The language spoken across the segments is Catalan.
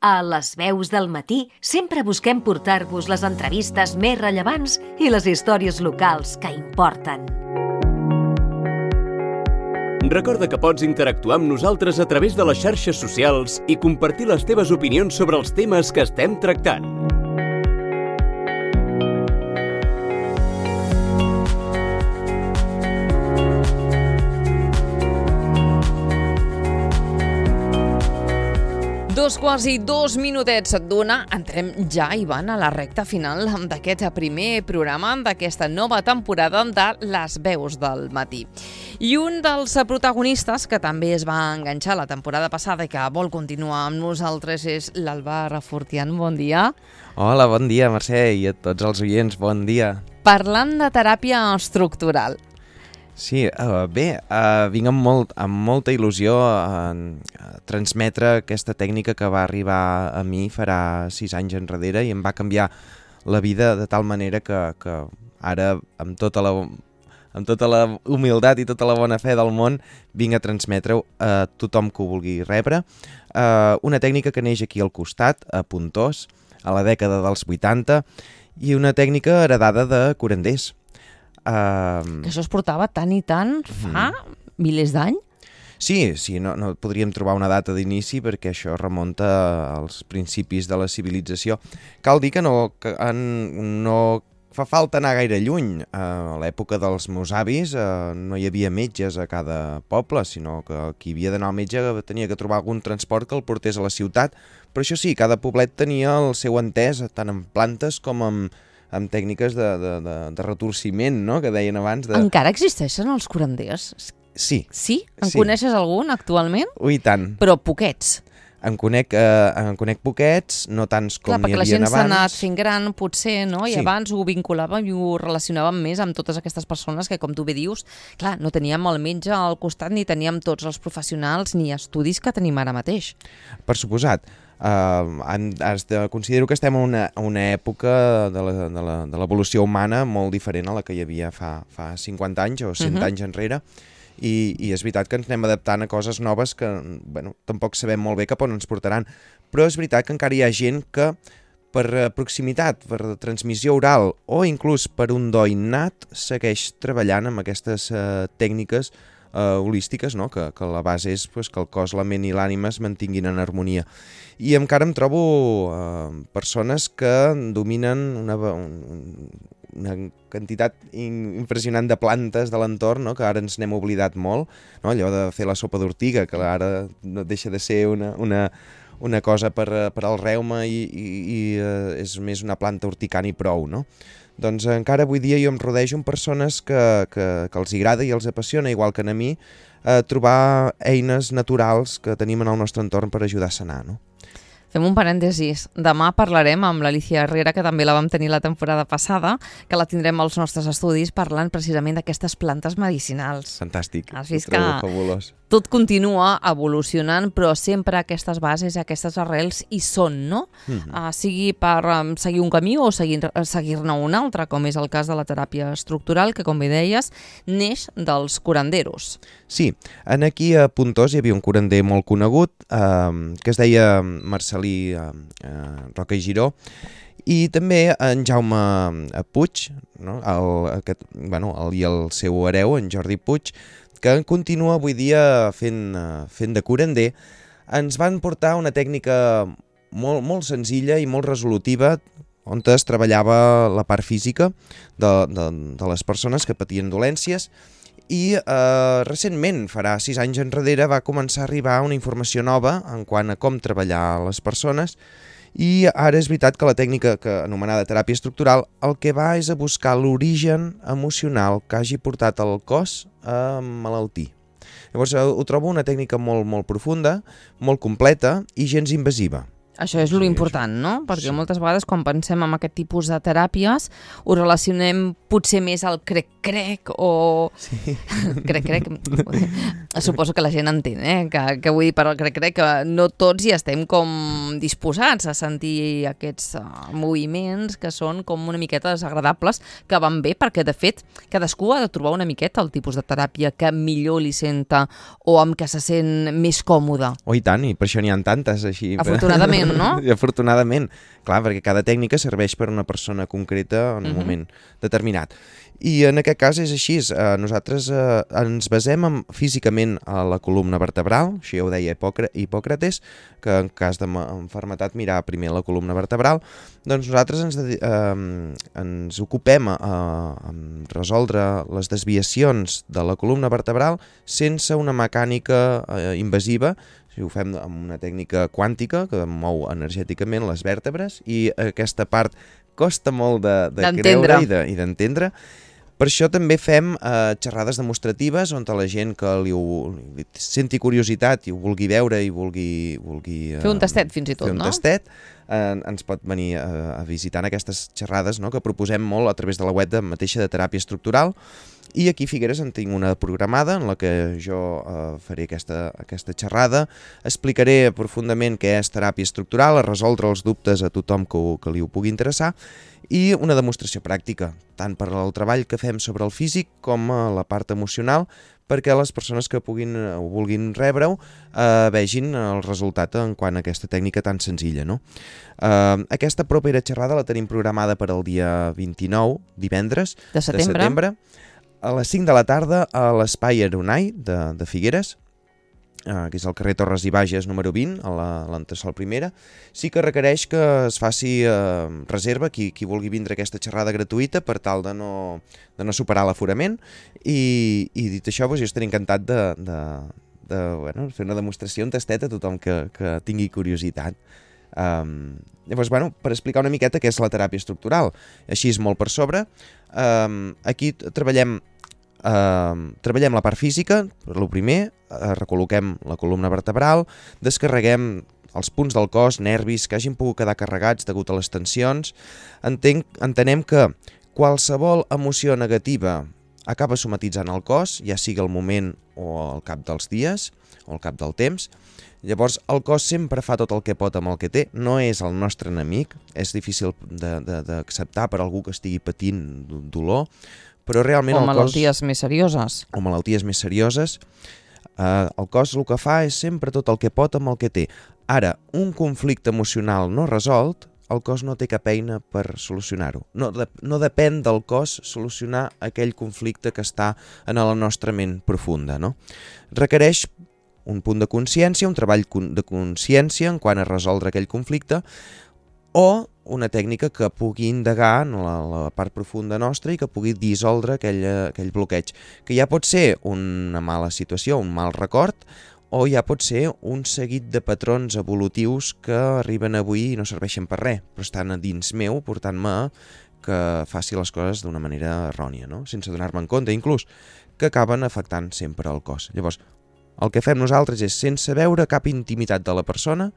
A Les Veus del Matí sempre busquem portar-vos les entrevistes més rellevants i les històries locals que importen. Recorda que pots interactuar amb nosaltres a través de les xarxes socials i compartir les teves opinions sobre els temes que estem tractant. Quasi 2 minutets et dona. Entrem ja, Ivan, a la recta final d'aquest primer programa d'aquesta nova temporada de Les Veus del Matí. I un dels protagonistes que també es va enganxar la temporada passada i que vol continuar amb nosaltres és l'Albà Refortian. Bon dia. Hola, bon dia, Mercè, i a tots els oients, bon dia. Parlant de teràpia estructural. Sí, vinc amb molta il·lusió a transmetre aquesta tècnica que va arribar a mi farà 6 anys enrere i em va canviar la vida de tal manera que ara, amb tota la humilitat i tota la bona fe del món, vinc a transmetre-ho a tothom que ho vulgui rebre. Una tècnica que neix aquí al costat, a Pontós, a la dècada dels 80, i una tècnica heredada de curanders. Que això es portava tant i tant fa milers d'anys? Sí, no podríem trobar una data d'inici perquè això remunta als principis de la civilització. Cal dir que no fa falta anar gaire lluny. A l'època dels meus avis no hi havia metges a cada poble, sinó que qui havia d'anar al metge tenia que trobar algun transport que el portés a la ciutat. Però això sí, cada poblet tenia el seu entès, tant en plantes com amb tècniques de retorciment, no?, que deien abans. Encara existeixen els curanders? Sí. Sí? En coneixes algun actualment? Ui, tant. Però poquets. En conec poquets, no tants com n'hi havia abans. Clar, perquè la gent s'ha anat fent gran, potser, no? I sí. Abans ho vinculàvem i ho relacionàvem més amb totes aquestes persones que, com tu bé dius, clar, no teníem el metge al costat ni teníem tots els professionals ni estudis que tenim ara mateix. Per suposat. Considero que estem en una època de l'evolució humana molt diferent a la que hi havia fa 50 anys o 100 anys enrere, i és veritat que ens anem adaptant a coses noves que tampoc sabem molt bé cap on ens portaran, però és veritat que encara hi ha gent que per proximitat, per transmissió oral o inclús per un do innat segueix treballant amb aquestes tècniques holístiques, no? Que la base és que el cos, la ment i l'ànima es mantinguin en harmonia. I encara em trobo persones que dominen una quantitat impressionant de plantes de l'entorn, no? Que ara ens n'hem oblidat molt, no? Allò de fer la sopa d'ortiga, que ara no deixa de ser una cosa per al reuma i és més una planta urticant i prou, no? Doncs encara avui dia jo em rodejo amb persones que els agrada i els apassiona, igual que a mi, trobar eines naturals que tenim en el nostre entorn per ajudar a sanar, no? Fem un parèntesis. Demà parlarem amb l'Alicia Herrera, que també la vam tenir la temporada passada, que la tindrem als nostres estudis parlant precisament d'aquestes plantes medicinals. Fantàstic. Has vist que fabulós. Tot continua evolucionant, però sempre aquestes bases, aquestes arrels hi són, no? Sigui per seguir un camí o seguir-ne un altre, com és el cas de la teràpia estructural, que, com bé deies, neix dels curanderos. Sí, aquí a Pontós hi havia un curander molt conegut, que es deia Marcelí Roca i Giró, i també en Jaume Puig, no? I el seu hereu, en Jordi Puig, que continua avui dia fent de curander, ens van portar una tècnica molt senzilla i molt resolutiva, on es treballava la part física de les persones que patien dolències, i recentment, farà 6 anys enrere, va començar a arribar una informació nova en quant a com treballar les persones, i ara és veritat que la tècnica anomenada teràpia estructural el que va és a buscar l'origen emocional que hagi portat el cos a malaltir. Llavors ho trobo una tècnica molt profunda, molt completa i gens invasiva. Això és l'important, no? Perquè moltes vegades quan pensem en aquest tipus de teràpies ho relacionem potser més al crec-crec o... Sí. Crec-crec. Suposo que la gent entén, que vull dir per al crec-crec que no tots hi estem com disposats a sentir aquests moviments que són com una miqueta desagradables, que van bé perquè, de fet, cadascú ha de trobar una miqueta el tipus de teràpia que millor li senta o amb què se sent més còmode. Oh, i tant, i per això n'hi ha tantes així. Afortunadament. moment, no? I afortunadament, clar, perquè cada tècnica serveix per a una persona concreta en un moment determinat. I en aquest cas és així, nosaltres ens basem físicament a la columna vertebral, això ja ho deia Hipòcrates, que en cas d'enfermetat mirar primer la columna vertebral, doncs nosaltres ens ocupem a resoldre les desviacions de la columna vertebral sense una mecànica invasiva. Ho fem amb una tècnica quàntica que mou energèticament les vèrtebres i aquesta part costa molt de creure i d'entendre. Per això també fem xerrades demostratives on la gent que li senti curiositat i ho vulgui veure i vulgui fer un tastet fins i tot, no? Fer un tastet, ens pot venir a visitar en aquestes xerrades, no?, que proposem molt a través de la web mateixa de teràpia estructural. I aquí a Figueres en tinc una programada en la que jo faré aquesta xerrada, explicaré profundament què és teràpia estructural, a resoldre els dubtes a tothom que li ho pugui interessar, i una demostració pràctica, tant per al treball que fem sobre el físic com a la part emocional, perquè les persones que vulguin rebre-ho vegin el resultat en quant a aquesta tècnica tan senzilla, no? Aquesta propera xerrada la tenim programada per al dia 29, divendres de setembre, a les 5 de la tarda a l'Espai Aeronai de Figueres, que és al carrer Torres i Bages número 20, a l'entresòl primera. Sí que requereix que es faci reserva qui vulgui vindre a aquesta xerrada gratuïta per tal de no superar l'aforament, i dit això, jo estaré encantat de fer una demostració, un tastet a tothom que tingui curiositat. Llavors, per explicar una miqueta què és la teràpia estructural, així és molt per sobre, aquí treballem la part física, per lo primer, recol·loquem la columna vertebral, descarreguem els punts del cos, nervis que hagin pogut quedar carregats degut a les tensions. Entenem que qualsevol emoció negativa acaba somatitzant el cos, ja sigui al moment o al cap dels dies o al cap del temps. Llavors, el cos sempre fa tot el que pot amb el que té, no és el nostre enemic, és difícil d'acceptar per algú que estigui patint dolor, però realment el cos... O malalties més serioses. O malalties més serioses. El cos el que fa és sempre tot el que pot amb el que té. Ara, un conflicte emocional no resolt, el cos no té cap eina per solucionar-ho. No depèn del cos solucionar aquell conflicte que està en la nostra ment profunda, no? Requereix un punt de consciència, un treball de consciència en quant a resoldre aquell conflicte, o una tècnica que pugui indagar en la part profunda nostra i que pugui dissoldre aquell bloqueig, que ja pot ser una mala situació, un mal record, o ja pot ser un seguit de patrons evolutius que arriben avui i no serveixen per res, però estan a dins meu portant-me que faci les coses d'una manera errònia, no? Sense donar-me en compte, inclús, que acaben afectant sempre el cos. Llavors, el que fem nosaltres és, sense veure cap intimitat de la persona,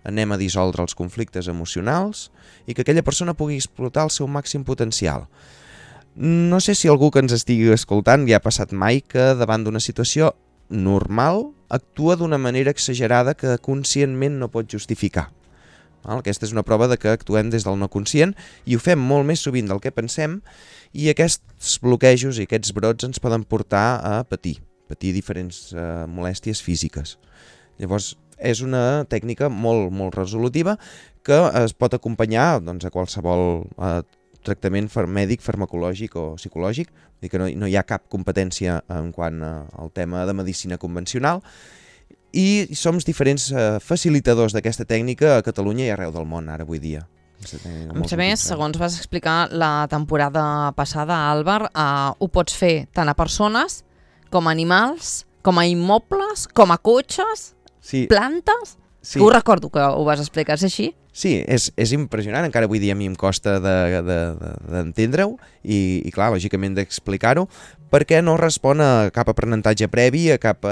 anem a dissoldre els conflictes emocionals i que aquella persona pugui explotar el seu màxim potencial. No sé si algú que ens estigui escoltant ja ha passat mai que davant d'una situació normal actua d'una manera exagerada que conscientment no pot justificar. Aquesta és una prova de que actuem des del no conscient i ho fem molt més sovint del que pensem, i aquests bloquejos i aquests brots ens poden portar a patir diferents molèsties físiques. Llavors, és una tècnica molt, molt resolutiva que es pot acompanyar a qualsevol tractament mèdic, farmacològic o psicològic, i que no hi ha cap competència en quant al tema de medicina convencional, i som diferents facilitadors d'aquesta tècnica a Catalunya i arreu del món ara avui dia. A més, segons vas explicar la temporada passada, Àlvar, ho pots fer tant a persones com a animals, com a immobles, com a cotxes, plantes. Sí. Ho recordo que ho vas explicar, és així? Sí, és impressionant, encara avui dia a mi em costa d'entendre-ho i clar, lògicament d'explicar-ho, perquè no respon a cap aprenentatge previ, a cap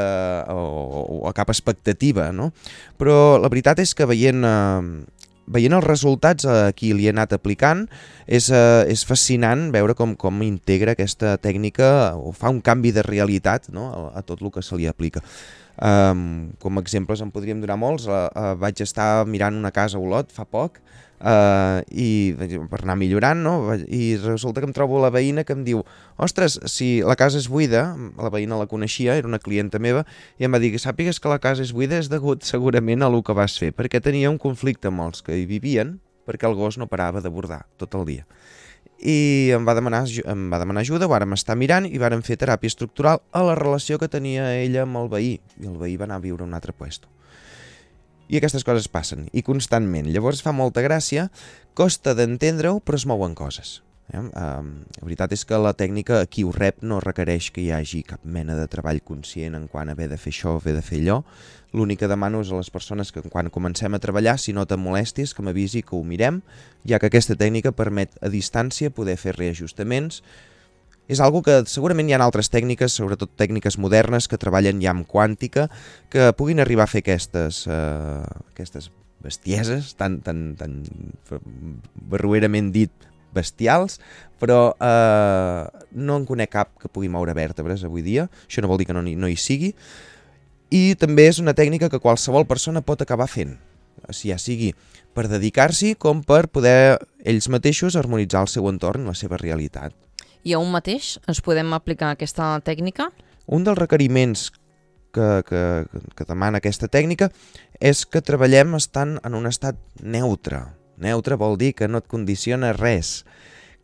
expectativa, no? Però la veritat és que veient els resultats a qui li he anat aplicant, és fascinant veure com integra aquesta tècnica o fa un canvi de realitat, no?, a tot el que se li aplica. Com a exemples en podríem donar molts. Vaig estar mirant una casa a Olot fa poc, i per anar millorant, no? I resulta que em trobo la veïna que em diu: ostres, si la casa és buida, la veïna la coneixia, era una clienta meva, i em va dir que sàpigues que la casa és buida és degut segurament a el que vas fer, perquè tenia un conflicte amb els que hi vivien, perquè el gos no parava de bordar tot el dia. I em va demanar ajuda, ho vàrem estar mirant i vàrem fer teràpia estructural a la relació que tenia ella amb el veí, i el veí va anar a viure a un altre puesto. I aquestes coses passen, i constantment. Llavors fa molta gràcia, costa d'entendre-ho, però es mouen coses. La veritat és que la tècnica aquí ho rep, no requereix que hi hagi cap mena de treball conscient en quant a haver de fer això o haver de fer allò. L'únic que demano és a les persones que quan comencem a treballar, si no te molestis, que m'avisi que ho mirem, ja que aquesta tècnica permet a distància poder fer reajustaments. És algo que segurament hi ha altres tècniques, sobretot tècniques modernes, que treballen ja amb quàntica, que puguin arribar a fer aquestes bestieses, tan barruerament dit bestials, però no en conec cap que pugui moure vèrtebres avui dia. Això no vol dir que no hi sigui. I també és una tècnica que qualsevol persona pot acabar fent, ja sigui per dedicar-s'hi com per poder ells mateixos harmonitzar el seu entorn, la seva realitat. I a un mateix ens podem aplicar aquesta tècnica? Un dels requeriments que demana aquesta tècnica és que treballem estant en un estat neutre. Neutre vol dir que no et condiciona res.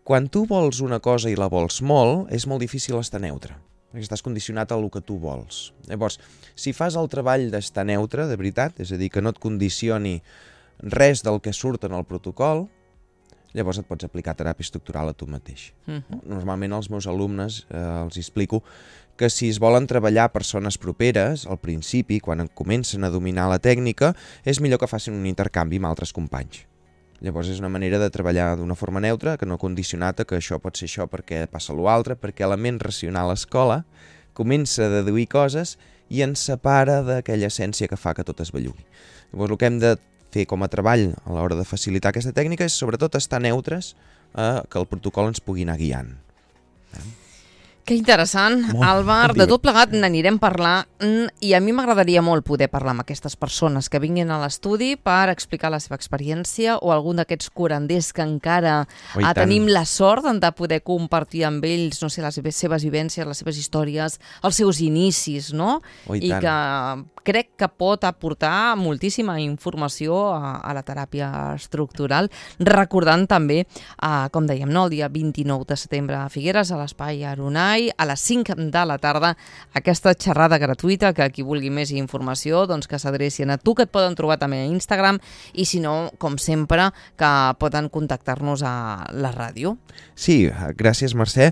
Quan tu vols una cosa i la vols molt, és molt difícil estar neutre, perquè estàs condicionat a el que tu vols. Llavors, si fas el treball d'estar neutre, de veritat, és a dir, que no et condicioni res del que surt en el protocol, llavors et pots aplicar teràpia estructural a tu mateix. Normalment als meus alumnes els explico que si es volen treballar persones properes, al principi, quan comencen a dominar la tècnica, és millor que facin un intercanvi amb altres companys. Llavors és una manera de treballar d'una forma neutra, que no condicionat a que això pot ser això perquè passa l'altre, perquè la ment racional escola comença a deduir coses i ens separa d'aquella essència que fa que tot es bellugui. Llavors el que hem de fer com a treball a l'hora de facilitar aquesta tècnica és sobretot estar neutres, que el protocol ens pugui anar guiant. Que interessant, Àlvar. De tot plegat n'anirem parlant i a mi m'agradaria molt poder parlar amb aquestes persones que vinguin a l'estudi per explicar la seva experiència o algun d'aquests curanders que encara tenim la sort de poder compartir amb ells, no sé, les seves vivències, les seves històries, els seus inicis, no? I que crec que pot aportar moltíssima informació a la teràpia estructural, recordant també, com dèiem, el dia 29 de setembre a Figueres, a l'Espai Aronai, a les 5 de la tarda, aquesta xerrada gratuïta, que qui vulgui més informació, doncs que s'adrecin a tu, que et poden trobar també a Instagram, i si no, com sempre, que poden contactar-nos a la ràdio. Sí, gràcies, Mercè.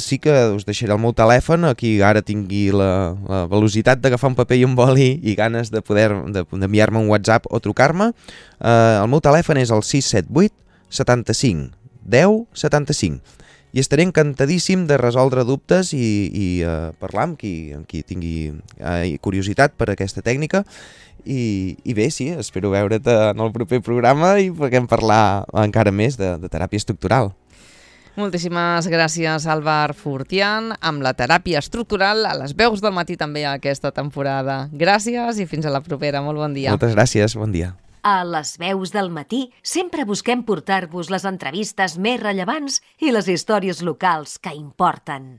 Sí que us deixaré el meu telèfon, aquí ara tingui la velocitat d'agafar un paper i un boli i ganes de poder d'enviar-me un WhatsApp o trucar-me. El meu telèfon és el 678 75 10 75. I estaré encantadíssim de resoldre dubtes i parlar amb qui tingui curiositat per aquesta tècnica. I bé, sí, espero veure't en el proper programa i puguem parlar encara més de teràpia estructural. Moltíssimes gràcies, Àlvar Fortián, amb la teràpia estructural a les veus del matí també aquesta temporada. Gràcies i fins a la propera. Molt bon dia. Moltes gràcies, bon dia. A les veus del matí sempre busquem portar-vos les entrevistes més rellevants i les històries locals que importen.